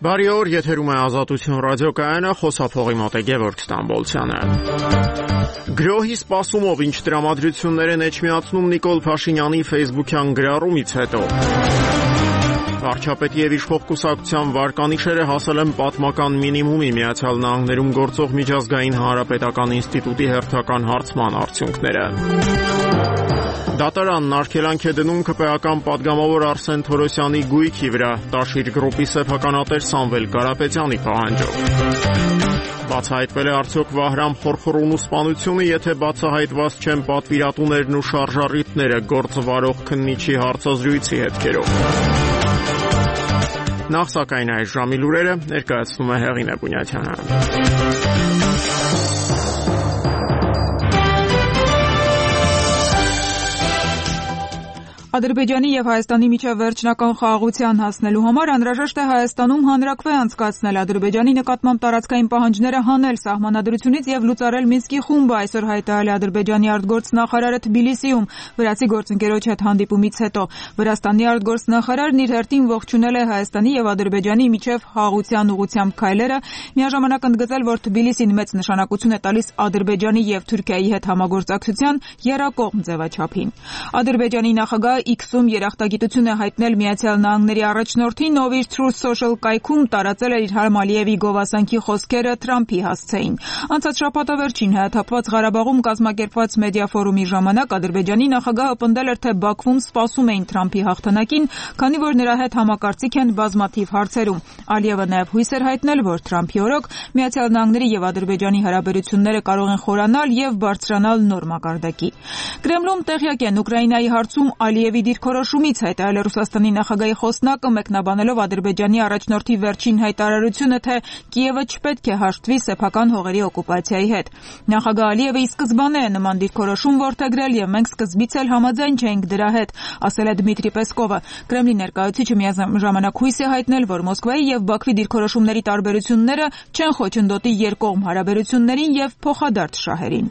Բարի օր, եթերում է Ազատություն ռադիոկայանը, խոսափողի մոտ է Գևորգ Ստամբոլցյանը։ Գրոհի սպասումով ինչ տրամադրություններ են էջմիածնում Նիկոլ Փաշինյանի ֆեյսբուքյան գրառումից հետո։ Վարչապետի եւ իշխող կուսակցության վարկանիշերը հասել են պատմական մինիմումի, Միացյալ Նահանգներում գործող միջազգային հանրապետական ինստիտուտի հերթական հարցման արդյունքները։ Դատարանն արգելանք է դնում ԿՊԱ-ական պատգամավոր Արսեն Թորոսյանի գույքի վրա, Տաշիր գրուպի սեփականատեր Սամվել Կարապետյանի պահանջով։ Բացահայտվել է արդյոք Վահրամ Խորխորունու սպանությունը, եթե բացահայտված չեն պատվիրատուներն ու շարժառիթները, գործ վարող քննիչի հարցազրույցի հետքերով։ Նախ սակայն այս ժամի լուրերը ներկայացնում է Հեղինե Բունյաթյանը։ Ադրբեջանի եւ Հայաստանի միջև վերջնական խաղաղության հասնելու համար անհրաժեշտ է Հայաստանում հանրաքվե անցկացնել, Ադրբեջանի նկատմամբ տարածքային պահանջները հանել սահմանադրությունից եւ լուծարել Մինսկի խումբը, այսօր հայտարարել է Ադրբեջանի արտգործնախարարը Թբիլիսիում վրացի գործընկերոջ հետ հանդիպումից հետո։ Վրաստանի արտգործնախարարն իր հերթին ողջունել է Հայաստանի եւ Ադրբեջանի միջև խաղաղության ուղղությամբ քայլերը, միաժամանակ ընդգծել, որ Թբիլիսին մեծ նշանակություն է տալիս Ադրբեջանի եւ Թուրքիայի հետ համագործակցության եռակողմ ձևաչափին։ Ադրբեջանի նախագահ X-ում երախտագիտություն է հայտնել Միացյալ Նահանգների առաջնորդին, ով իր Truth Social կայքում տարածել էր իր Իլհամ Ալիևի գովասանքի խոսքերը Թրամփի հասցեին։ Անցած շաբաթավերջին Հայաթափված Ղարաբաղում կազմակերպված մեդիա ֆորումի ժամանակ Ադրբեջանի նախագահը պնդել էր, թե Բաքվում սպասում էին Թրամփի հաղթանակին, քանի որ նրա հետ համակարծիք են բազմաթիվ հարցերում։ Ալիևը նաև հույս էր հայտնել, որ Թրամփի օրոք Միացյալ Նահանգների եւ Ադրբեջանի հարաբերությունները կարող են խորանալ եւ բարձրանալ նոր մակարդակի։ Կրեմլում տեղյակ են Ուկրաինայի հարցում Ալիևի դիրքորոշումից, հայտարարել է Ռուսաստանի նախագահի խոսնակը, մեկնաբանելով Ադրբեջանի առաջնորդի վերջին հայտարարությունը, թե Կիևը չպետք է հաշտվի սեփական հողերի օկուպացիայի հետ։ Նախագահ Ալիևը ի սկզբանե է նման դիրքորոշում որդեգրել եւ մենք սկզբից էլ համաձայն չէինք դրա հետ, ասել է Դմիտրի Պեսկովը։ Կրեմլի ներկայացուցիչը միաժամանակ հույս է հայտնել, որ Մոսկվայի եւ Բաքվի դիրքորոշումների տարբերությունները չեն խոչընդոտի երկկողմ հարաբերություններին եւ փոխադարձ շահերին։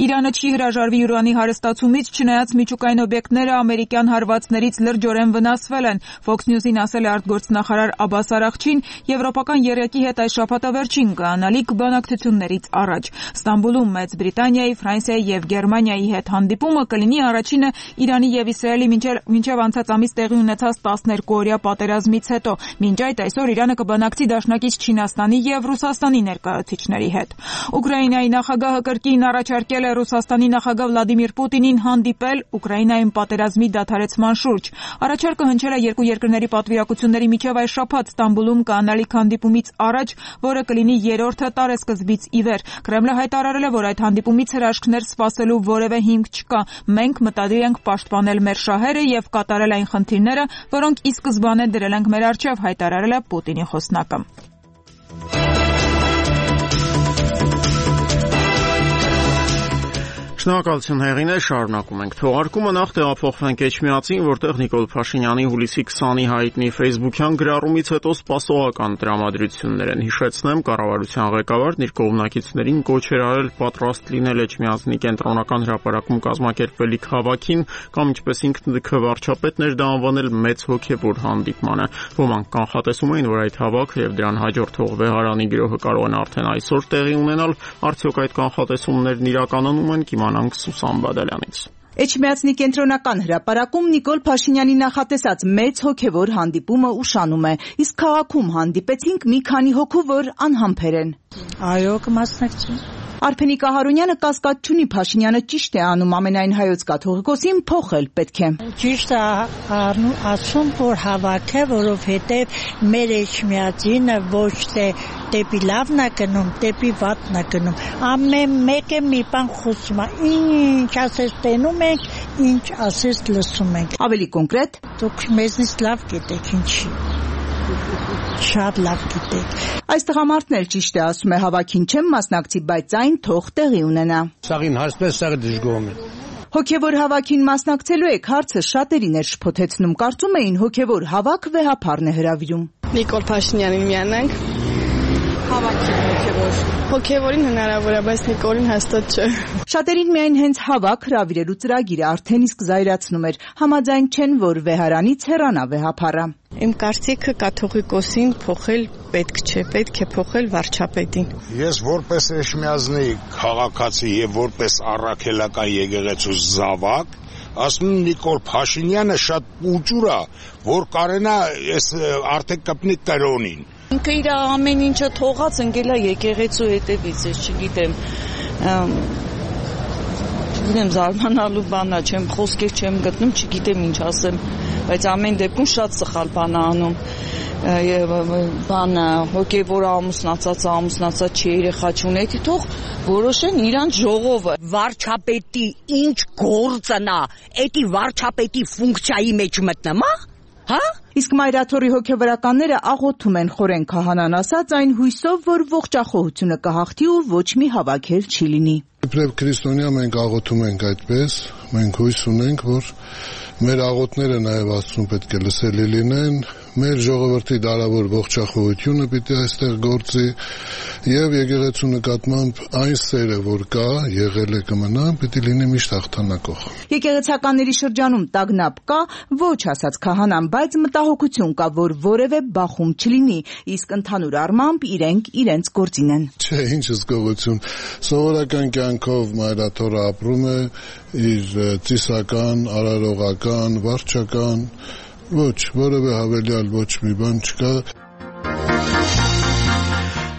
Իրանը չի հրաժարվի յուրանի հարստացումից, չնայած միջուկային օբյեկտները ամերիկյան հարվածներից լրջորեն վնասվել են։ Fox News-ին ասել է արտգործնախարար Աբբաս Արաղչին, եվրոպական եռյակի հետ այս շաբաթավերջին կայանալիք բանակցություններից առաջ։ Ստամբուլում Մեծ Բրիտանիայի, Ֆրանսիայի եւ Գերմանիայի հետ հանդիպումը կլինի առաջինը Իրանի եւ Իսրայելի մինչեւ անցած ամիս տեղի ունեցած 12-օրյա պատերազմից հետո։ Մինչ այդ այսօր Իրանը կբանակցի դաշնակից Չինաստանի եւ Ռուսաստանի ներկայացուցիչների հետ։ Ուկրաինայի նախագահը կրկին առաջարկել է Ռուսաստանի նախագահ Վլադիմիր Պուտինին հանդիպել Ուկրաինայում պատերազմի դադարեցման շուրջ։ Առաջարկը հնչել է երկու երկրների պատվիրակությունների միջև այս շաբաթ Ստամբուլում կայանալիք հանդիպումից առաջ, որը կլինի երրորդը տարեսկզբից ի վեր։ Կրեմլը հայտարարել է, որ այդ հանդիպումից հրաշքներ սպասելու որևէ հիմք չկա։ Մենք մտադիր ենք պաշտպանել մեր շահերը եւ կատարել այն խնդիրները, որոնք ի սկզբանե դրել ենք մեր առջև, հայտարարել է Պուտինի խոսնակը։ Շնորհակալություն Հեղինե, շարունակում ենք թողարկումը, նախ տեղափոխվենք Էջմիածին, որտեղ Նիկոլ Փաշինյանի հուլիսի 20-ի հայտնի ֆեյսբուքյան գրառումից հետո սպասողական տրամադրություններ են։ Հիշեցնեմ, կառավարության ղեկավարն իր կողմնակիցներին կոչ էր արել պատրաստ լինել Էջմիածնի կենտրոնական հրապարակում կազմակերպվելիք հավաքին, կամ ինչպես ինքն վարչապետն էր դա անվանել մեծ հոգևոր հանդիպմանը։ Ոմանք կանխատեսում էին, որ այդ հավաքը եւ դրան հաջորդող վեհարանի գրոհը կարող են արդեն այսօր տեղի ունենալ, արդյոք այդ կանխատեսումներն իրականանում են, կիմանանք Սուսան Բադալյանից։ Էջմիածնի կենտրոնական հրապարակում Նիկոլ Փաշինյանի նախատեսած մեծ հոգևոր հանդիպումը ուշանում է, իսկ քաղաքում հանդիպեցինք մի քանի հոգու, որ անհամբեր են։ Այո, կմասնակցի։ Արփենիկ Ահարոնյանը կասկած չունի, Փաշինյանը ճիշտ է անում, ամենայն հայոց կաթողիկոսին փոխել պետք է։ Ճիշտ է ասում, որ հավաք է, որովհետև մեր Էջմիածինը ոչ թե դեպի լավն է գնում, դեպի վատն է գնում։ Ամեն մեկը մի բան խոսում է, ինչ ասես տենում ենք, ինչ ասես լսում ենք։ Ավելի կոնկրետ, դուք մեզնից լավ գիտեք ինչի։ Շատ լավ գիտեք։ Այս տղամարդն էլ ճիշտ է ասում է, հավաքին չեմ մասնակցի, բայց այն թող տեղի ունենա։ Սաղին հարցպես սաղը դժգոհում է։ Հոգևոր հավաքին մասնակցելու եք, հարցը շատերին էր շփոթեցնում, կարծում էին հոգևոր հավաք վեհապարն է հրավիրում։ Նիկոլ Փաշինյանին միանանք։ Հավաքին հոգևորին հնարավոր է, բայց Նիկոլին հաստատ չէ։ Շատերին միայն հենց հավաք հրավիրելու ծրագիրը արդեն իսկ զայրացնում էր, համաձայն չեն, որ վեհարանից հեռանա վեհապարը։ Իմ կարծիքը կաթողիկոսին փոխել պետք չէ, պետք է փոխել վարչապետին։ Ես որպես Էշմիածնի քաղաքացի եւ որպես առաքելական եկեղեցու զավակ ասում եմ Նիկոլ Փաշինյանը շատ ուժուր է, որ կարենա այս արդեն կպնի կրոնին։ Ինքը իր ամեն ինչը թողած ընկել է եկեղեցու հետևից, ես չգիտեմ, զարմանալու բան է, չեմ խոսքեր չեմ գտնում, չգիտեմ ինչ ասեմ, բայց ամեն դեպքում շատ սխալ բան է անում։ Բանը հոգևոր ամուսնացած չի, երեխա չունի, թող որոշեն իրանց ժողովը։ Վարչապետի ինչ գործն է, էդի վարչապետի ֆունկցիայի մեջ մտնումա, հա? Իսկ Մայրաթորի հոգևորականները աղոթում են խորեն քահանան ասած այն հույսով, որ ողջախոհությունը կհաղթի ու ոչ մի հավաքել չի լինի։ Իբրև քրիստոնյա մենք աղոթում ենք այդպես, մենք հույս ունենք, որ մեր աղոթները նաև Աստծուն պետք է լսելի լինեն, մեր ժողովրդի դարավոր ողջախոհությունը պիտի այստեղ գործի եւ եկեղեցու նկատմամբ այն սերը, որ կա, եղել է կմնա, պիտի լինի միշտ հաղթանակող։ Եկեղեցականների շրջանում տագնապ կա, ոչ ասաց քահանան, բայց մտահոգություն կա, որ որևէ բախում չլինի, իսկ ընդհանուր առմամբ իրենք իրենց գործին են։ Չէ, ինչ հսկողություն, սովորական կյանքով Մայրաթորը ապրում է իր ծիսական, արարողական, վարչական, ոչ, որևէ հավելյալ ոչ մի բան չկա։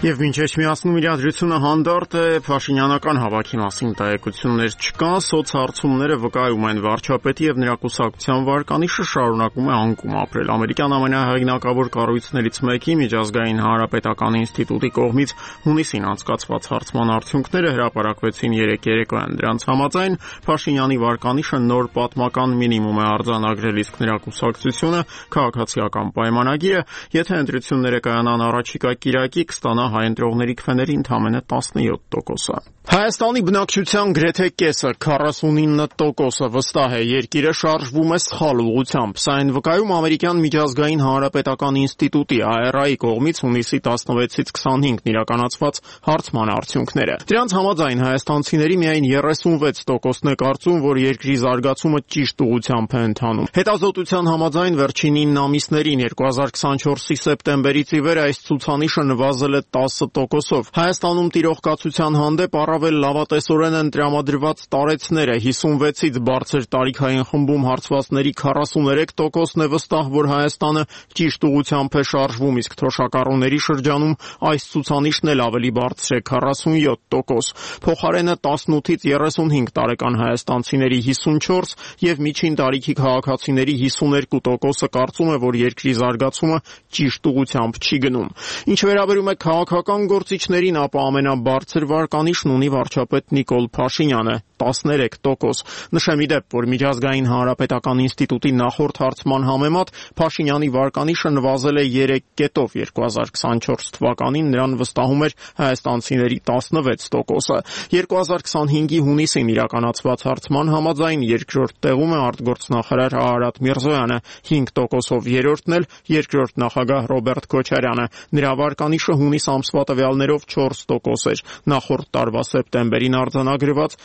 Եվ մինչ Էջմիածնում իրադրությունը հանդարտ է, Փաշինյանական հավաքի մասին տեղեկություններ չկան, սոցհարցումները վկայում են վարչապետի եւ նրա կուսակցության վարկանիշը շարունակում է անկում ապրել։ Ամերիկյան ամենահեղինակավոր կառույցներից մեկի Միջազգային հանրապետական ինստիտուտի կողմից հունիսին անցկացված հարցման արդյունքները հրապարակվեցին երեկոյան։ Դրանց համաձայն Փաշինյանի վարկանիշը նոր պատմական մինիմում է արձանագրել, իսկ նրա կուսակցությունը քաղաքացիական պայմանագիրը, եթե ընտրությունները կայանան առաջիկա կիրակի, կստանա հայ ընտրողների քվեների ընդամենը 17%-ը։ Հայաստանի բնակչության գրեթե կեսը 49% վստահ է երկիրը շարժվում է սխալ ուղղությամբ։ Սա այն վկայում ամերիկյան միջազգային հանրապետական ինստիտուտի ARI կողմից հունիսի 16-ից 25-ն իրականացված հարցման արդյունքները։ Դրանց համաձայն հայաստանցիների միայն 36%-ն է կարծում, որ երկրի զարգացումը ճիշտ ուղղությամբ է ընթանում։ Հետազոտության համաձայն վերջին 9 ամիսներին 2024-ի սեպտեմբերից ի վեր այս ցուցանիշը նվազել է 10%-ով։ Հայաստանում տիրող կացության հանդեպ առավել լավատեսորեն են տրամադրված տարեցները 56-ից բարձր տարիքային խմբում հարցվածների 43%-ն է վստահ, որ Հայաստանը ճիշտ ուղղությամբ է շարժվում, իսկ թոշակառուների շրջանում այս ցուցանիշն էլ ավելի բարձր է 47%։ Փոխարենը 18-ից 35 տարեկան հայաստանցիների 54 եւ միջին տարիքի քաղաքացիների 52%-ը կարծում է, որ երկրի զարգացումը ճիշտ ուղղությամբ չի գնում։ Ինչ վերաբերում է քաղաքական գործիչներին, ապա ամենաբարձր վարկանիշն ունի վարչապետ Նիկոլ Փաշինյանը 13%։ Նշեմ ի դեպ, որ Միջազգային հանրապետական ինստիտուտի նախորդ հարցման համեմատ Փաշինյանի վարկանիշը նվազել է 3%-ով 2024 թվականին նրան վստահում էր հայաստանցիների 16%-ը։ 2025-ի հունիսին իրականացված հարցման համաձայն երկրորդ տեղում է արտգործնախարար Արարատ Միրզոյանը, 5%-ով երրորդն էլ երկրորդ նախագահ Ռոբերտ Քոչարյանը։ Նրա վարկանիշը հունիս ամսվա տվյալներով 4% էր, նախորդ տարվա սեպտեմբերին արձանագրված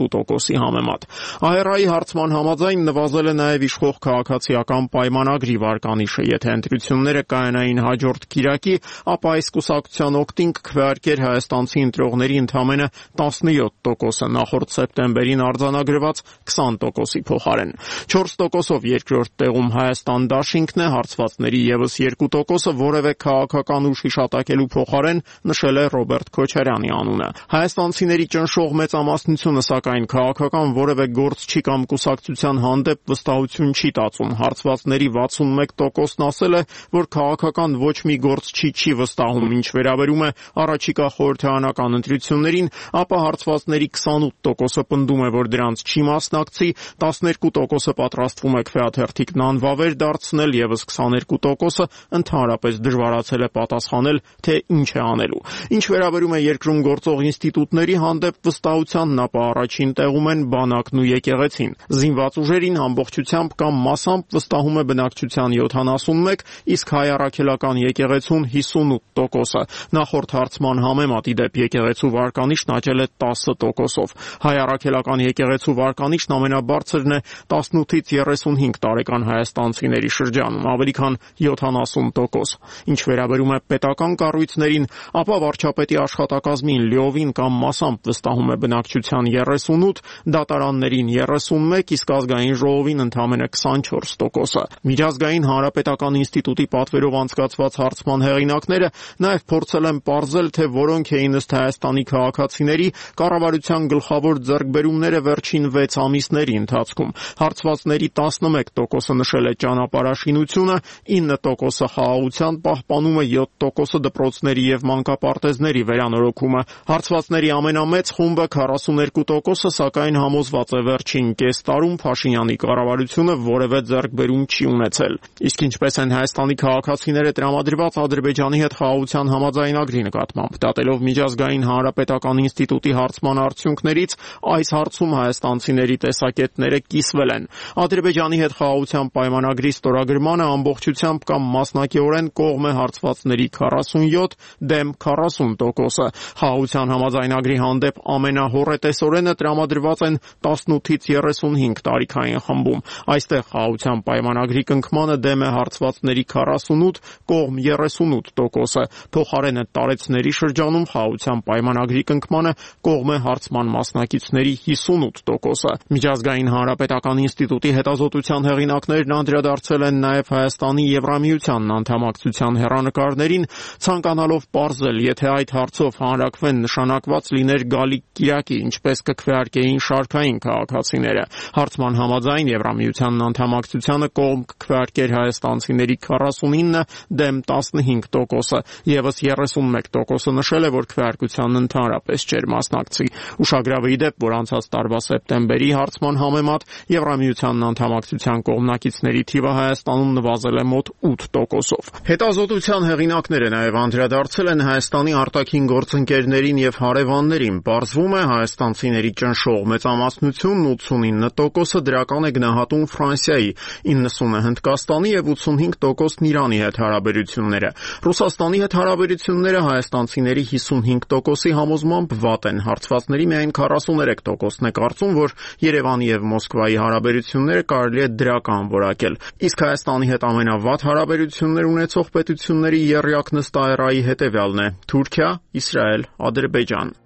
2%-ի համեմատ։ ARI հարցման համաձայն նվազել է նաև իշխող քաղաքացիական պայմանագրի վարկանիշը։ Եթե ընտրությունները կայանային հաջորդ կիրակի, ապա այս կուսակցության օգտին կքվեարկեր հայաստանցի ընտրողների ընդամենը 17%-ը, նախորդ սեպտեմբերին արձանագրված 20%-ի փոխարեն։ 4%-ով երկրորդ տեղում Հայաստան դաշինքն է, հարցվածների ևս 2%-ը որևէ քաղաքական ուժ հիշատակելու փոխարեն նշել է Ռոբերտ Քոչարյանի անունը։ Հայաստանցիների ճնշող մեծամասնությունը սակայն քաղաքական որևէ գործ չի կամ կուսակցության հանդեպ վստահություն չի տածում։ Հարցվածների 61%-ն ասել է, որ քաղաքական ոչ մի գործ չի վստահում։ Ինչ վերաբերում է առաջիկա խորհրդարանական ընտրություններին, ապա հարցվածների 28%-ը պնդում է, որ դրանց չի մասնակցի, 12%-ը պատրաստվում է քվեաթերթիկն անվավեր դարձնել, ևս 22%-ը ընդհանրապես դժվարացել է պատասխանել, թե ինչ է անելու։ Ինչ վերաբերում է երկրում գործող ինստիտուտների հանդեպ վստահությանն, ապա առաջին առաջին տեղում են բանակն ու եկեղեցին։ Զինված ուժերին ամբողջությամբ կամ մասամբ վստահում է բնակչության 71, իսկ հայ առաքելական եկեղեցուն 58%-ը։ Նախորդ հարցման համեմատ ի դեպ եկեղեցու վարկանիշն աճել է 10%-ով։ Հայ առաքելական եկեղեցու վարկանիշն ամենաբարձրն է 18-ից 35 տարեկան հայաստանցիների շրջանում, ավելի քան 70%։ Ինչ վերաբերում է պետական կառույցներին, ապա վարչապետի աշխատակազմին լիովին կամ մասամբ վստահում է բնակչության 38, դատարաններին 31, իսկ ազգային ժողովին ընդամենը 24%-ը։ Միջազգային հանրապետական ինստիտուտի պատվերով անցկացված հարցման հեղինակները նաև փորձել են պարզել, թե որոնք էին ըստ Հայաստանի քաղաքացիների կառավարության գլխավոր ձեռքբերումները վերջին 6 ամիսների ընթացքում։ Հարցվածների 11%-ը նշել է ճանապարհաշինությունը, 9%-ը խաղաղության պահպանումը, 7%-ը դպրոցների եւ մանկապարտեզների վերանորոգումը։ Հարցվածների ամենամեծ խումբը 42%-ը սակայն համոզված է վերջին կես տարում Փաշինյանի կառավարությունը որևէ ձեռքբերում չի ունեցել։ Իսկ ինչպես են Հայաստանի քաղաքացիները տրամադրված Ադրբեջանի հետ խաղաղության համաձայնագրի նկատմամբ։ Դատելով միջազգային հանրապետական ինստիտուտի հարցման արդյունքներից, այս հարցում հայաստանցիների տեսակետները կիսվել են։ Ադրբեջանի հետ խաղաղության պայմանագրի ստորագրմանը ամբողջությամբ կամ մասնակիորեն կողմ է հարցվածների 47 դեմ 40%-ը։ Խաղաղության համաձայնագրի հանդեպ ամենահոռետեսորենը տրամադրված են 18-ից 35 տարիքային խմբում։ Այստեղ խաղաղության պայմանագրի կնքմանը դեմ է հարցվածների 48, կողմ 38%-ը։ Փոխարենը տարեցների շրջանում խաղաղության պայմանագրի կնքմանը կողմ է հարցման մասնակիցների 58%-ը։ Միջազգային հանրապետական ինստիտուտի հետազոտության հեղինակներն անդրադարձել են նաև Հայաստանի Եվրամիությանն անդամակցության հեռանկարներին, ցանկանալով պարզել, եթե այդ հարցով հանրակրվեն նշանակված լիներ Գալիկ Կիրակի, ինչպես կքվեարկեին շարքային քաղաքացիները։ Հարցման համաձայն Եվրամիությանն անդամակցությանը կողմ կքվեարկեր հայաստանցիների 49 դեմ 15%-ը, եւս 31%-ը նշել է, որ քվեարկությանն ընդհանրապես չէր մասնակցի։ Ուշագրավ է ի դեպ, որ անցած տարվա սեպտեմբերի հարցման համեմատ Եվրամիությանն անդամակցության կողմնակիցների թիվը Հայաստանում նվազել է մոտ 8%-ով։ Հետազոտության հեղինակները նաև անդրադարձել են Հայաստանի արտաքին գործընկերներին եւ հարևաններին։ Պարզվում է, հայաստանցիների ճնշող մեծամասնությունն 89%-ը դրական է գնահատում Ֆրանսիայի, 90%-ը Հնդկաստանի եւ 85%-ն Իրանի հետ հարաբերությունները։ Ռուսաստանի հետ հարաբերությունները հայաստանցիների 55%-ի համոզմամբ վատ են։ Հարցվածների միայն 43%-ն է կարծում, որ Երևանի եւ Մոսկվայի հարաբերությունները կարելի է դրական որակել։ Իսկ Հայաստանի հետ ամենավատ հարաբերություններ ունեցող պետությունների եռյակ նստաերայի հետևյալն է՝ Թուրքիա, Իսրայել, Ադրբեջան։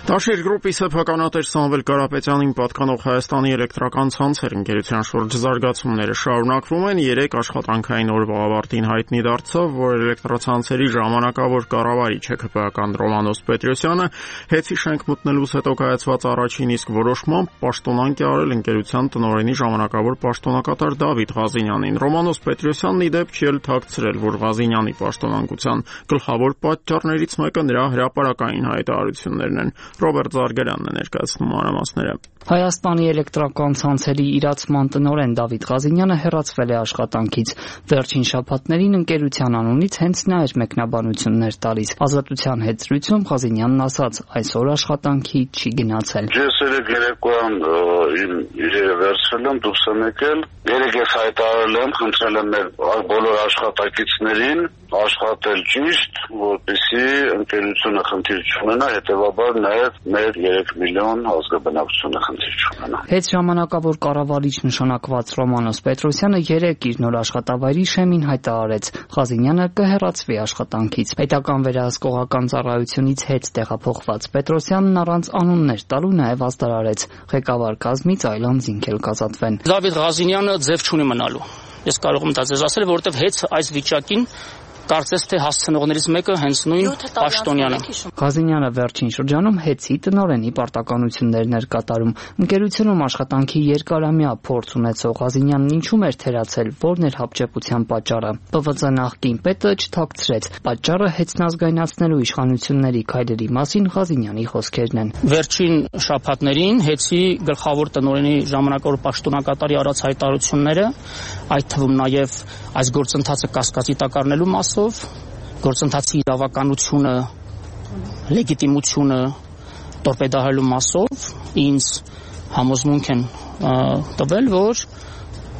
Տաշիր գրուպի սեփականատեր Սամվել Կարապետյանին պատկանող Հայաստանի էլեկտրական ցանցեր ընկերության շուրջ զարգացումները շարունակվում են։ 3 աշխատանքային օրվա ավարտին հայտնի դարձավ, որ էլեկտրացանցերի ժամանակավոր կառավարիչ ՀՔՊ-ական Ռոմանոս Պետրոսյանը հեծի շենք մտնելուց հետո կայացված առաջին իսկ որոշմամբ պաշտոնանկ է արել ընկերության տնօրենի ժամանակավոր պաշտոնակատար Դավիթ Ղազինյանին։ Ռոմանոս Պետրոսյանն ի դեպ չի թաքցրել, որ Ղազինյանի պաշտոնանկության գլխավոր պատճառներից մեկը նրա հրապարակային հայտարարություններն են։ Ռոբերտ Զարգարյանն է ներկայացնում մանրամասները։ Հայաստանի էլեկտրական ցանցերի իրացման տնօրեն Դավիթ Ղազինյանը հեռացվել է աշխատանքից։ Վերջին շաբաթներին ընկերության անունից հենց նա էր մեկնաբանություններ տալիս։ Ազատության հետ զրույցում Ղազինյանն ասաց, այսօր աշխատանքի չի գնացել։ Ես երեկոյան իմ իրերը վերցրել եմ, դուրս եմ եկել, երեք ես հայտարարել եմ, խնդրել եմ մեր բոլոր աշխատակիցներին աշխատել ճիշտ, որպեսզի ընկերությունը խնդիր չունենա, հետևաբար նաև մեր 3 միլիոն ազգաբնակչությունը խնդիր չունենա։ Հետ ժամանակավոր կառավարիչ նշանակված Ռոմանոս Պետրոսյանը 3 իր նոր աշխատավայրի շեմին հայտարարեց, Ղազինյանը կհեռացվի աշխատանքից։ Պետական վերահսկողական ծառայությունից հետ տեղափոխված Պետրոսյանն առանց անուններ տալու նաև ազդարարեց, ղեկավար կազմից այլ անձինք էլ կազատվեն։ Դավիթ Ղազինյանը ձև չունի մնալու։ Ես կարող եմ դա ձեզ ասել, որովհետև հետ այս վիճակին կարծես թե հասցնողներից մեկը հենց նույն Պաշտոնյանը։ Ղազինյանը վերջին շրջանում հեծի տնօրենի պարտականություններն էր կատարում։ Ընկերությունում աշխատանքի երկարամյա փորձ ունեցող Ղազինյանն ինչու էր թերացել, որն էր հապճեպության պատճառը։ ՊՎԾ նախկին պետը չթաքցրեց։ Պատճառը հեծն ազգայնացնելու իշխանությունների քայլերի մասին Ղազինյանի խոսքերն են։ Վերջին շաբաթներին հեծի գլխավոր տնօրենի ժամանակավոր պաշտոնակատարի արած հայտարարությունները, այդ թվում նաև այս գործընթացը կասկածի տակ առնելու մասով, գործընթացի իրավականությունը, լեգիտիմությունը, տորպեդահարելու մասով ինձ համոզմունք են տվել, որ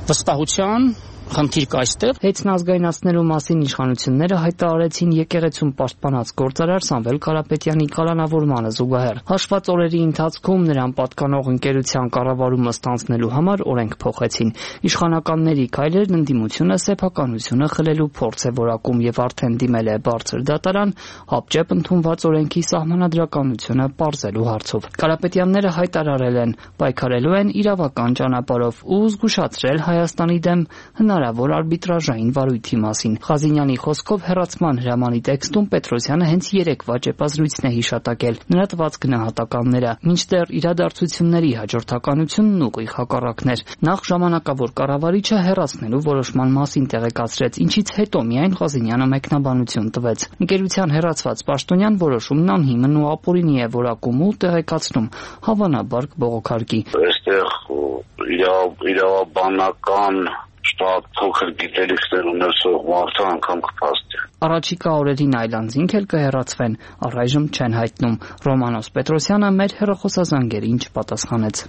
վստահության խնդիր կա այստեղ։ Հետնազգայնացնելու մասին իշխանությունները հայտարարեցին եկեղեցում պաշտպանած գործարար Սամվել Կարապետյանի կալանավորմանը զուգահեռ։ Հաշված օրերի ընթացքում նրան պատկանող ընկերության կառավարումը ստանձնելու համար օրենք փոխեցին։ Իշխանականների քայլերն ընդդիմությունը սեփականությունը խլելու փորձ է որակում եւ արդեն դիմել է բարձր դատարան հապճեպ ընդունված օրենքի սահմանադրականությունը պարզելու հարցով։ Կարապետյանները հայտարարել են պայքարելու են իրավական ճանապարհով ու զգուշացրել Հայաստանի դեմ հնարավոր արբիտրաժային վարույթի մասին։ Ղազինյանի խոսքով հեռացման հրամանի տեքստում Պետրոսյանը հենց 3 վաճեպազրույցն է հիշատակել, նրա տված գնահատականները, մինչդեռ իրադարձությունների հաջորդականությունն ուղիղ հակառակն էր։ Նախ ժամանակավոր կառավարիչը հեռացնելու որոշման մասին տեղեկացրեց, ինչից հետո միայն Ղազինյանը մեկնաբանություն տվեց։ Ընկերության հեռացված պաշտոնյան որոշումն անհիմն ու ապօրինի է որակում ու տեղեկացնում հավանաբար կբողոքարկի։ Այստեղ իրավաբանական շատ փոքր գիտելիքներ ունեցող մարդը անգամ կփաստի։ Առաջիկա օրերին այլանձինք էլ կհեռացվեն, առայժմ չեն հայտնում։ Ռոմանոս Պետրոսյանը մեր հեռախոսազանգերին չպատասխանեց։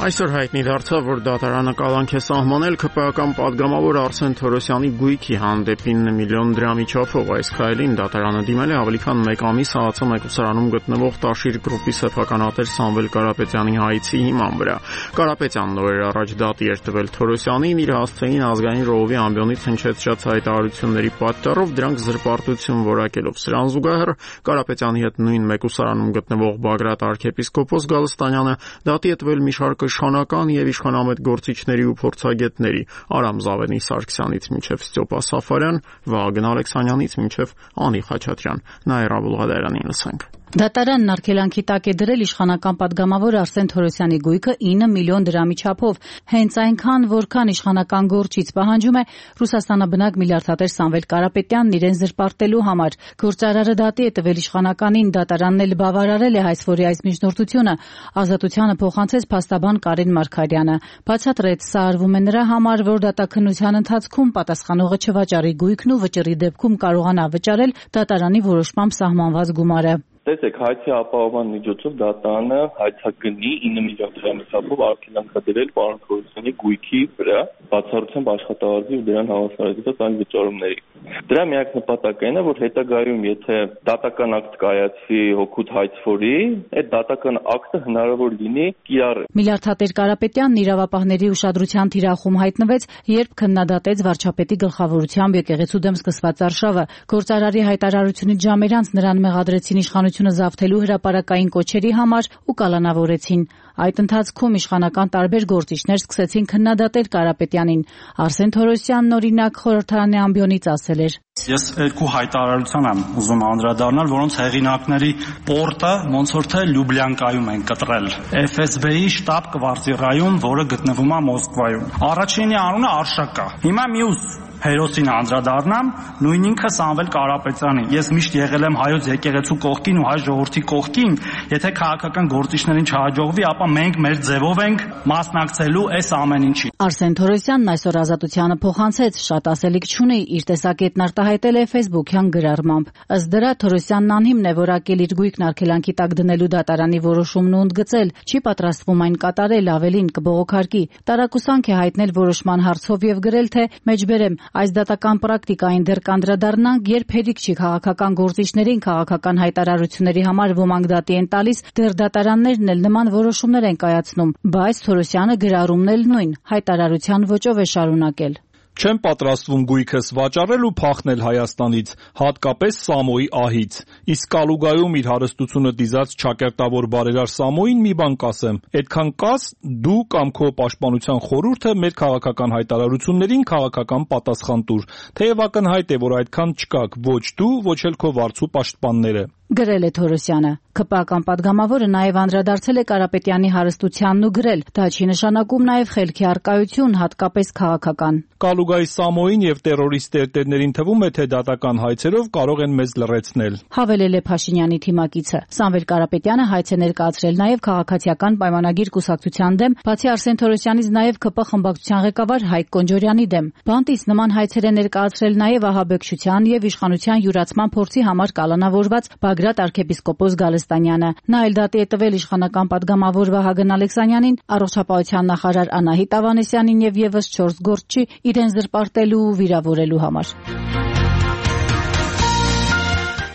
Այսօր հայտնի դարձավ, որ դատարանը կալանք է սահմանել ՔՊԱ-ական պատգամավոր Արսեն Թորոսյանի գույքի հանդեպ 9 միլիոն դրամի չափով։ Այս քայլին դատարանը դիմել է ավելի քան 1 ամիս ՀԱՑ մեկուսարանում գտնվող Տաշիր գրուպի սեփականատեր Սամվել Կարապետյանի հայցի հիման վրա։ Կարապետյանն օրեր առաջ դատի էր տվել Թորոսյանին իր հասցեին ազգային ժողովի ամբիոնից հնչեցրած հայտարարությունների պատճառով դրանք զրպարտություն որակելով։ Սրան զուգահեռ Կարապետյանի հետ նույն մեկուսարանում գտնվող Բագրատ arczepiskopos Գալստանյանը դատի է տվել մի շարք իշխանական եւ իշխանամետ գործիչների ու փորձագետների Արամ Զավենի Սարգսյանից մինչեւ Ստյոպա Սաֆարյան, Վահագն Ալեքսանյանից մինչեւ Անի Խաչատրյան։ Նաիրա Բուլղադարանին լսենք։ Դատարանն արգելանքի տակ է դրել իշխանական պատգամավոր Արսեն Թորոսյանի գույքը 9 միլիոն դրամի չափով, հենց այնքան, որքան իշխանական գործիչ պահանջում է Ռուսաստանաբնակ միլիարդատեր Սամվել Կարապետյանն իրեն զրպարտելու համար։ Գործարարը դատի է տվել իշխանականին, դատարանն էլ բավարարել է հայցվորի այս միջնորդությունը, ազատությանը փոխանցեց փաստաբան Կարեն Մարգարյանը։ Բացատրեց, սա արվում է նրա համար, որ դատաքննության ընթացքում պատասխանողը չվաճառի գույքն ու վճռի դեպքում կարողանա վճարել դատարանի որոշմամբ սահմանված գումարը։ Տեսեք, հայցի ապահովման միջոցով դատարանը հայցագնի 9 միլիոն դրամի չափով արգելանք է դրել պարոն Թորոսյանի գույքի վրա, բացառությամբ աշխատավարձի ու դրան հավասարեցված այլ վճարումների։ Դրա միակ նպատակն է, որ հետագայում, եթե դատական ակտ կայացվի հօգուտ հայցվորի, այդ դատական ակտը հնարավոր լինի կիրառել։ Միլիարդատեր Կարապետյանն իրավապահների ուշադրության թիրախում հայտնվեց, երբ քննադատեց վարչապետի գլխավորությամբ եկեղեցու դեմ սկսված արշավը։ Գործարարի հայտարարությունից ժամեր անց նրան մեղադրեցին իշխանությունը զավթելու հրապարակային կոչերի համար ու կալանավորեցին։ Այդ ընթացքում իշխանական տարբեր գործիչներ սկսեցին քննադատել Կարապետյանին։ Արսեն Թորոսյանն օրինակ խորհրդարանի ամբիոնից ասել էր. Ես երկու հայտարարության եմ ուզում անդրադառնալ, որոնց հեղինակների պորտը ոնց որ թե Լյուբլյանկայում են կտրել։ FSB-ի շտաբ կվարտիրայում, որը գտնվում է Մոսկվայում։ Առաջինի անունը Արշակա։ Հիմա մյուս հերոսին անդրադառնամ, նույն ինքը Սամվել Կարապետյանին։ Ես միշտ եղել եմ հայոց եկեղեցու կողքին ու հայ ժողովրդի կողքին, եթե քաղաքական գործիչներին չհաջողվի, ապա մենք մեր ձևով ենք մասնակցելու այս ամեն ինչին։ Արսեն Թորոսյանն այսօր ազատությանը փոխանցեց, շատ ասելիք չունի, իր տեսակետն արտահայտել է Facebook-յան գրառմամբ։ Ըստ դրա Թորոսյանն անհիմն է որակել իր գույքն արգելանքի տակ դնելու դատարանի որոշումն ու ընդգծել, չի պատրաստվում այն կատարել, ավելին կբողոքարկի։ Տարակուսանք է հայտնել որոշման հարցով եւ գրել, թե մեջբերեմ այս դատական պրակտիկային դեռ կանդրադառնանք, երբ հերիք չի քաղաքական գործիչներին քաղաքական հայտարարությունների համար ոմանք դատի են տալիս, դեռ դատարաններն էլ նման որոշումներ են կայացնում, բայց Թորոսյանը գրառումն էլ նույն հայտարարության ոճով է շարունակել։ Չեմ պատրաստվում գույքս վաճառել ու փախնել Հայաստանից, հատկապես Սամոյի ահից։ Իսկ Կալուգայում իր հարստությունը դիզած ճակերտավոր բարերար Սամոյին մի բան կասեմ. այդքան կաս դու կամ քո պաշտպանության խորհուրդը մեր քաղաքական հայտարարություններին քաղաքական պատասխան տուր, թեև ակնհայտ է, որ այդքան չկաք ոչ դու, ոչ էլ քո վարձու պաշտպանները։ Գրել է Թորոսյանը։ ԿՊԱ-կան պատգամավորը նաև անդրադարձել է Կարապետյանի հարստությանն ու գրել. դա չի նշանակում նաև խելքի առկայություն, հատկապես քաղաքական։ Կալուգայի Սամոյին եւ տերորիստ տերտերներին թվում է, թե դատական հայցերով կարող են մեզ լռեցնել։ Հավելել է Փաշինյանի թիմակիցը։ Սամվել Կարապետյանը հայց է ներկայացրել նաև քաղաքացիական պայմանագիր կուսակցության դեմ, բացի Արսեն Թորոսյանից նաև ԿՊ խմբակցության ղեկավար Հայկ Կոնջորյանի դեմ։ Բանտից նման հայցեր է ներկայացրել նաև ահաբեկչության եւ իշխանության յուրացման փորձի համար կալանավորված Բագրատ arczepiskopos Գալստանյանը։ Նա էլ դատի է տվել իշխանական պատգամավոր Վահագն Ալեքսանյանին, առողջապահության նախարար Անահիտ Ավանեսյանին եւ եւս 4 գործչի իրեն զրպարտելու ու վիրավորելու համար։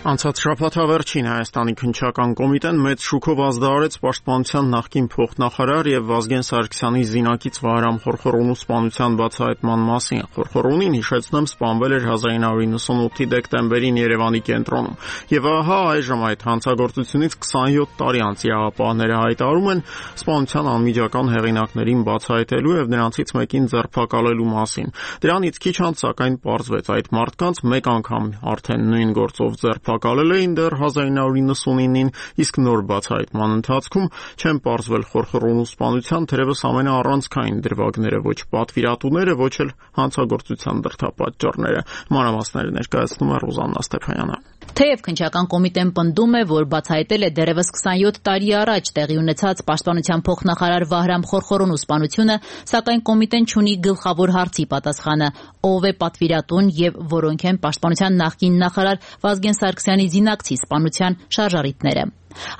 Անցած շաբաթավերջին Հայաստանի քննչական կոմիտեն մեծ շուկով ազդարարեց Պաշտպանության նախկին փոխնախարար եւ Վազգեն Սարգսյանի զինակից Վահրամ Խորխորոնու սպանության բացահայտման մասին։ Խորխորոնին, հիշեցնեմ, սպանվել էր 1998-ի դեկտեմբերին Երևանի կենտրոնում։ Եվ ահա այժմ այդ հանցագործությունից 27 տարի անց իրավապահները հայտարարում են սպանության անմիջական հեղինակներին բացահայտելու եւ նրանցից մեկին ձերբակալելու մասին։ Դրանից քիչ անց սակայն պարզվեց այդ մարդկանց մեկ անգամ արդեն նույն գործով ձերբակալել էին դեռ 1999-ին, իսկ նոր բացահայտման ընթացքում չեն պարզվել Խորխորոնու սպանության թերևս ամենաառանցքային դրվագները, ոչ պատվիրատուները, ոչ էլ հանցագործության դրդապատճառները։ Մանրամասները ներկայացնում է Ռուզաննա Ստեփանյանը։ Թեև քննչական կոմիտեն պնդում է, որ բացահայտել է դեռևս 27 տարի առաջ տեղի ունեցած Պաշտպանության փոխնախարար Վահրամ Խորխորոնու սպանությունը, սակայն կոմիտեն չունի գլխավոր հարցի պատասխանը՝ ով է պատվիրատուն եւ որոնք են Պաշտպանության նախկին նախարար Վազգեն Սարգսյանի զինակցի սպանության շարժառիթները։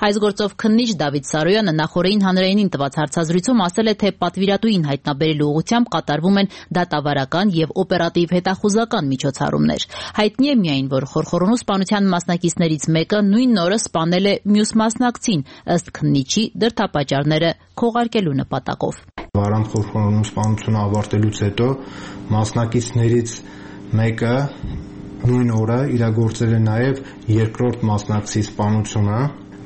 Այս գործով քննիչ Դավիթ Սարոյանը նախորդին հանրայինին տված հարցազրույցում ասել է, թե պատվիրատուին հայտնաբերելու ուղղությամբ կատարվում են դատավարական եւ օպերատիվ հետախուզական միջոցառումներ։ Հայտնի է միայն, որ Խորխորոնու սպանության մասնակիցներից մեկը նույն օրը սպանել է մյուս մասնակցին, ըստ քննիչի դրդապատճառները քողարկելու նպատակով։ Վահրամ Խորխորոնու սպանությունը ավարտելուց հետո մասնակիցներից մեկը նույն օրը իրագործել է նաև երկրորդ մասնակցի սպանությունը,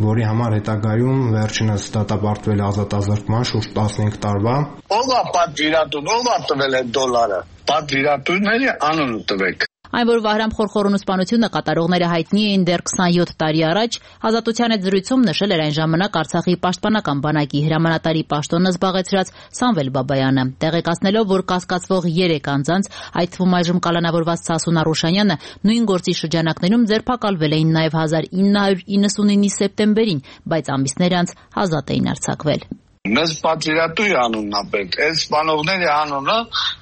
որի համար հետագայում վերջինս դատապարտվել ազատազրկման շուրջ 15 տարվա։ Ով է պատվիրատուն, ով է տվել այդ դոլարը։ Պատվիրատուների անունը տվեք։ Այն, որ Վահրամ Խորխորոնու սպանությունը կատարողները հայտնի էին դեռ 27 տարի առաջ, Ազատության հետ զրույցում նշել էր այն ժամանակ Արցախի պաշտպանական բանակի հրամանատարի պաշտոնը զբաղեցրած Սամվել Բաբայանը, տեղեկացնելով, որ կասկածվող 3 անձանց, այդ թվում այժմ կալանավորված Սասուն Արուշանյանը, նույն գործի շրջանակներում ձերբակալվել էին նաև 1999-ի սեպտեմբերին, բայց ամիսներ անց ազատ էին արձակվել։ Մեզ պատվիրատուի անունն է պետք, այդ սպանողների անունը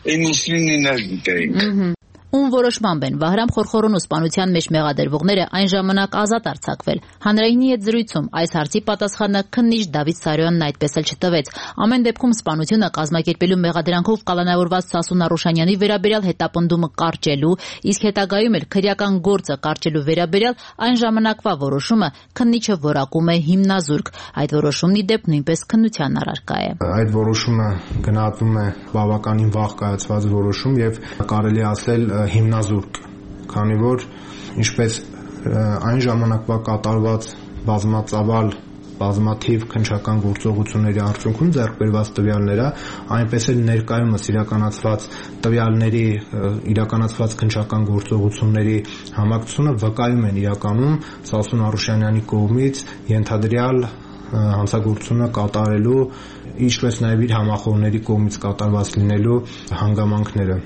99-ներ գիտեինք։ Ում որոշմամբ են Վահրամ Խորխորոնու սպանության մեջ մեղադրվողները այն ժամանակ ազատ արձակվել։ Հանրայինի հետ զրույցում այս հարցի պատասխանը քննիչ Դավիթ Սարոյանն այդպես էլ չտվեց։ Ամեն դեպքում սպանությունը կազմակերպելու մեղադրանքով կալանավորված Սասուն Արուշանյանի վերաբերյալ հետապնդումը կարճելու, իսկ հետագայում էլ քրեական գործը կարճելու վերաբերյալ այն ժամանակվա որոշումը քննիչը որակում է հիմնազուրկ։ Այդ որոշումն ի դեպ նույնպես քննության առարկա է։ Այդ որոշումը գնահատվում է բավականին վաղ կայացված որոշում եւ կարելի ասել հիմնազուրկ, քանի որ ինչպես այն ժամանակվա կատարված բազմաթիվ քննչական գործողությունների արդյունքում ձեռք բերված տվյալները, այնպես էլ ներկայումս իրականացված քննչական գործողությունների համակցությունը վկայում են իրականում Սասուն Արուշանյանի կողմից ենթադրյալ հանցագործությունը կատարելու, ինչպես նաև իր համախոհների կողմից կատարված լինելու հանգամանքները։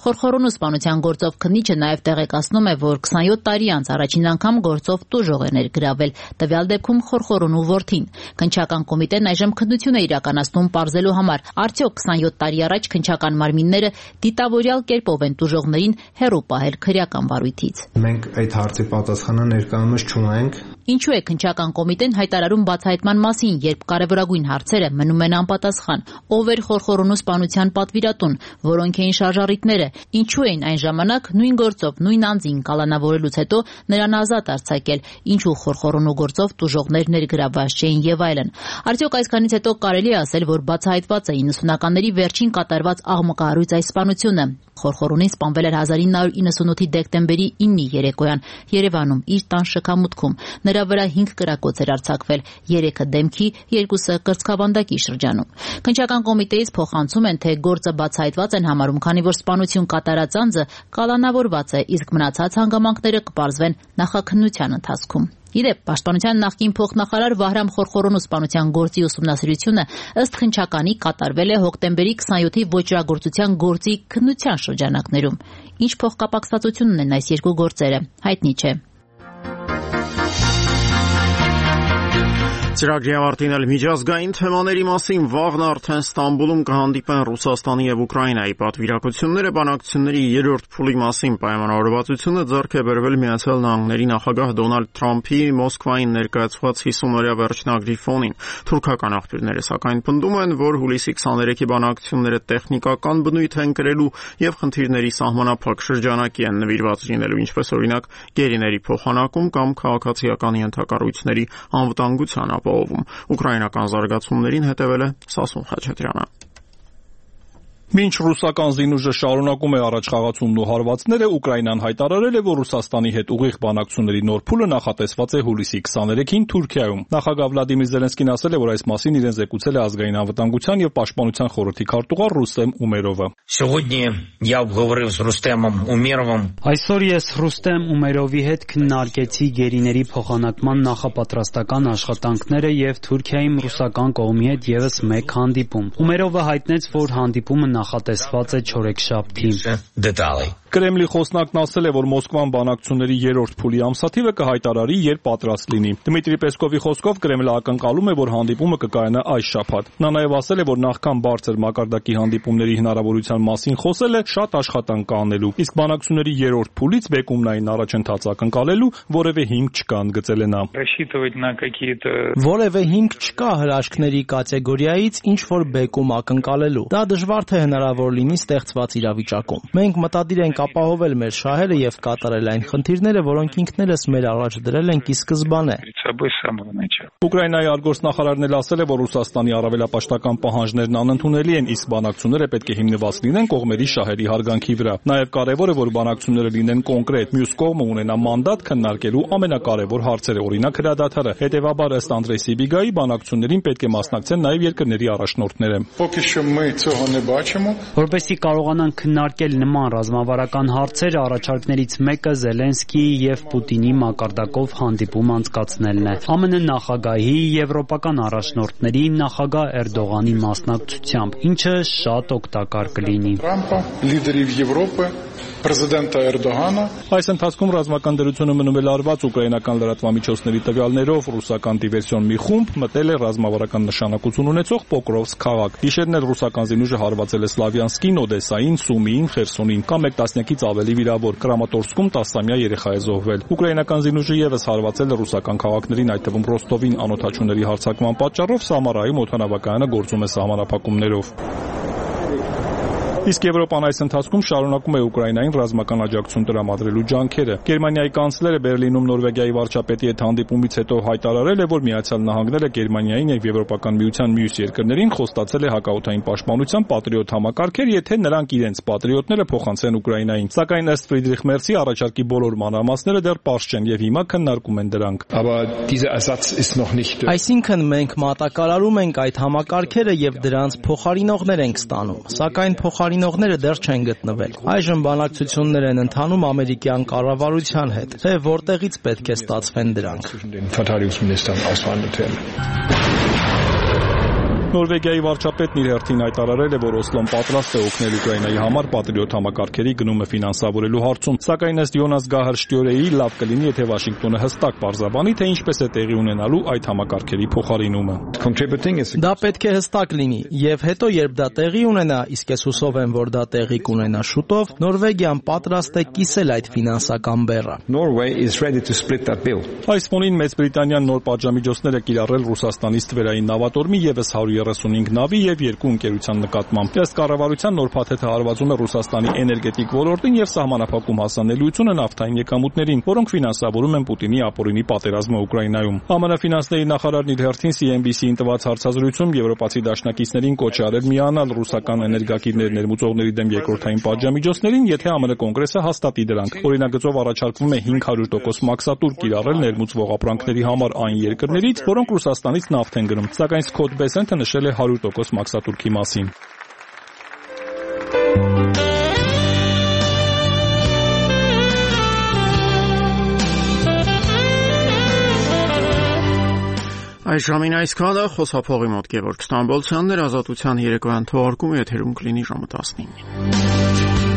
Խորխորոնու սպանության գործով քննիչը նաև տեղեկացնում է, որ 27 տարի անց առաջին անգամ գործով տուժող է ներգրավել, տվյալ դեպքում Խորխորոնու որդին։ Քննչական կոմիտեն այժմ քննություն է իրականացնում պարզելու համար, արդյոք 27 տարի առաջ քննչական մարմինները դիտավորյալ կերպով են տուժողներին հեռու պահել քրեական վարույթից։ Մենք այդ հարցի պատասխանը ներկայումս չունենք։ Ինչու է քննչական կոմիտեն հայտարարում բացահայտման մասին, երբ կարևորագույն հարցերը մնում են անպատասխան։ Ով էր Խորխորոնու սպանության պատվիրատուն, որոնք էին շարժառիթները, ինչու էին այն ժամանակ նույն գործով նույն անձին կալանավորելուց հետո նրան ազատ արձակել, ինչու Խորխորոնու գործով տուժողներ ներգրավված չէին եւ այլն։ Արդյոք այսքանից հետո կարելի է ասել, որ բացահայտված է 90-ականների վերջին կատարված աղմկահարույց այս սպանությունը։ Խորխորոնին սպանվել էր 1998-ի դեկտեմբերի 9-ի երեկոյան Երևանում իր տան շքամուտքում։ նրա վրա 5 կրակոց էր արձակվել, 3-ը դեմքի, 2-ը կրծքավանդակի շրջանում։ Քննչական կոմիտեից փոխանցում են, թե գործը բացահայտված են համարում, քանի որ սպանություն կատարած անձը կալանավորված է, իսկ մնացած հանգամանքները կպարզվեն նախաքննության ընթացքում։ Իդեպ, Պաշտպանության նախկին փոխնախարար Վահրամ Խորխորոնու սպանության գործի ուսումնասիրությունը ըստ քննչականի կատարվել է հոկտեմբերի 27-ի ոճրագործության գործի քննության շրջանակներում։ Ինչ փոխկապակցվածություն ունեն այս երկու գործերը, հայտնի չէ։ Ծրագրի ավարտին էլ միջազգային թեմաների մասին վաղն արդեն Ստամբուլում կհանդիպեն Ռուսաստանի եւ Ուկրաինայի պատվիրակությունները բանակցությունների երրորդ փուլի մասին պայմանավորվածությունը ձեռք է բերվել Միացյալ Նահանգների նախագահ Դոնալդ Թրամփի Մոսկվային ներկայացված 50-օրյա վերջնագրի ֆոնին։ Թուրքական աղբյուրները սակայն պնդում են, որ հուլիսի 23-ի բանակցությունները տեխնիկական բնույթ են կրելու եւ խնդիրների սահմանափակ շրջանակի են նվիրված լինելու, ինչպես օրինակ գերիների փոխանակում կամ քաղաքացիական ենթակառույցների անվտանգության Ուկրաինական զարգացումներին հետևել է Սասուն Խաչատրյանը։ Մինչ ռուսական զինուժը շարունակում է առաջխաղացումն ու հարվածները, Ուկրաինան հայտարարել է, որ Ռուսաստանի հետ ուղիղ բանակցությունների նոր փուլը նախատեսված է հուլիսի 23-ին Թուրքիայում։ Նախագահ Վլադիմիր Զելենսկին ասել է, որ այս մասին իրեն զեկուցել է ազգային անվտանգության եւ պաշտպանության խորհրդի քարտուղար Ռուստեմ Ումերովը։ Այսօր ես Ռուստեմ Ումերովի հետ քննարկեցի գերիների փոխանակման նախապատրաստական աշխատանքները եւ Թուրքիայում ռուսական կողմի հետ եւս մեկ հանդիպում։ Ումերովը հայտնեց, որ հանդիպումը նախատեսված է չորեքշաբթի։ Կրեմլի խոսնակն ասել է, որ Մոսկվան բանակցությունների երրորդ փուլի ամսաթիվը կհայտարարի, երբ պատրաստ լինի։ Դմիտրի Պեսկովի խոսքով Կրեմլը ակնկալում է, որ հանդիպումը կկայանա այս շաբաթ։ Նա նաև ասել է, որ նախքան բարձր մակարդակի հանդիպումների հնարավորության մասին խոսել է, շատ աշխատանք կա անելու, իսկ բանակցությունների երրորդ փուլից բեկումնային առաջընթաց ակնկալելու որևէ հիմք չկա, ընդգծել է նա։ Որևէ հիմք չկա հրաշքների կատեգորիայից ինչ որ բեկում ակնկալելու։ Դա դժվար թե հնարավոր լինի ստեղծված իրավիճակում։ Մենք մտադիր ենք ապահովել մեր շահերը եւ կատարել այն խնդիրները, որոնք ինքներս մեր առաջ դրել ենք ի սկզբանե։ Ուկրաինայի արտգործնախարարն էլ ասել է, որ Ռուսաստանի առավելապաշտական պահանջներն անընդունելի են, իսկ բանակցությունները պետք է հիմնված լինեն կողմերի շահերի հարգանքի վրա։ Նաև կարևոր է, որ բանակցությունները լինեն կոնկրետ, մյուս կողմը ունենա մանդատ քննարկելու ամենակարևոր հարցերը, օրինակ հրադադարը։ Հետևաբար, ըստ Անդրեյ Սիբիգայի, բանակցություններին պետք է մասնակցեն նաև երկրների առաջնորդները։ Որպեսզի կարողանան քննարկել նման ռազմավարական հարցեր, առաջարկներից մեկը Զելենսկիի եւ Պուտինի մակարդակով հանդիպում անցկացնելն է։ ԱՄՆ նախագահի, եվրոպական առաջնորդների, նախագահ Էրդողանի մասնակցությամբ, ինչը շատ օգտակար կլինի։ Այս ընթացքում ռազմական դրությունը մնում է լարված ուկրաինական լրատվամիջոցների տվյալներով, ռուսական դիվերսիոն մի խումբ մտել է ռազմավարական նշանակություն ունեցող Պոկրովսկ քաղաք։ Գիշերն էլ ռուսական զինուժը հարվածել է Սլավյանսկին, Օդեսային, Սումիին, Խերսոնին, կամ 1 տասնյակից ավելի վիրավոր։ Կրամատորսկում 10-ամյա երեխա է զոհվել։ Ուկրաինական զինուժը եւս հարվածել է ռուսական քաղաքներին, այդ թվում Ռոստովին, անօդաչուների հարձակման պատճառով Սամարայում օդանավակայանը գործում է սահմանափակումներով։ Իսկ Եվրոպան այս ընթացքում շարունակում է Ուկրաինային ռազմական աջակցություն տրամադրելու ջանքերը։ Գերմանիայի կանցլերը Բերլինում Նորվեգիայի վարչապետի հետ հանդիպումից հետո հայտարարել է, որ Միացյալ Նահանգները Գերմանիային եւ Եվրոպական միության մյուս երկրներին խոստացել է հակաօդային պաշտպանության պատրիոտ համակարգեր, եթե նրանք իրենց պատրիոտները փոխանցեն Ուկրաինային։ Սակայն ըստ Ֆրիդրիխ Մերցի առաջարկի բոլոր մանրամասները դեռ պարզ չեն եւ հիմա քննարկում են դրանք։ Այսինքն մենք մատակարարում ենք այդ համակարգերը եւ դրանց փոխարինողներ ենք ստանում, սակայն փոխարինողները դեռ չեն գտնվել։ Այժմ բանակցություններ են ընթանում ամերիկյան կառավարության հետ, թե որտեղից պետք է ստացվեն դրանք։ Նորվեգիայի վարչապետն իր հերթին հայտարարել է, որ Օսլոն պատրաստ է օգնել Ուկրաինայի համար պատրիոտ համակարգերի գնումը ֆինանսավորելու հարցում, սակայն ըստ Յոնաս Գահար Շտյորեի լավ կլինի, եթե Վաշինգտոնը հստակ պարզաբանի, թե ինչպես է տեղի ունենալու այդ համակարգերի փոխարինումը։ Դա պետք է հստակ լինի, եւ հետո երբ դա տեղի ունենա, իսկ ես հուսով եմ, որ դա տեղի կունենա շուտով, Նորվեգիան պատրաստ է կիսել այդ ֆինանսական բեռը։ Այս ֆոնին Մեծ Բրիտանիան նոր պատժամիջոցներ է կիրառել Ռուսաստանից թվերային նավատորմի եւս 100 35 նավի եւ 2 ընկերության նկատմամբ։ Ըստ կառավարության նոր փաթեթը հարվածում է Ռուսաստանի էներգետիկ ոլորտին եւ սահմանափակում հասանելիությունը նավթային եկամուտներին, որոնք ֆինանսավորում են Պուտինի ապօրինի պատերազմը Ուկրաինայում։ ԱՄՆ ֆինանսների նախարարն իր հերթին CNBC-ին տված հարցազրույցում եվրոպացի դաշնակիցներին կոչ է արել միանալ ռուսական էներգակիրներ ներմուծողների դեմ երկրորդային պատժամիջոցներին, եթե ԱՄՆ կոնգրեսը հաստատի դրանք։ Օրինագծով առաջարկվում է 500% մաքսատուր կիրառել ներմուծվող ապրանքների համար այն երկրներից, որոնք Ռուսաստանից նավթ են գնում, սակայն Սքոթ Բեսենթը նշել է 100% մաքսատուրքի մասին։ Այս ժամին այսքանը խոսափողի մոտ Գևորգ Ստամբոլցյանն էր, Ազատության երեկոյան թողարկումը եթերում կլինի ժամը 19-ին։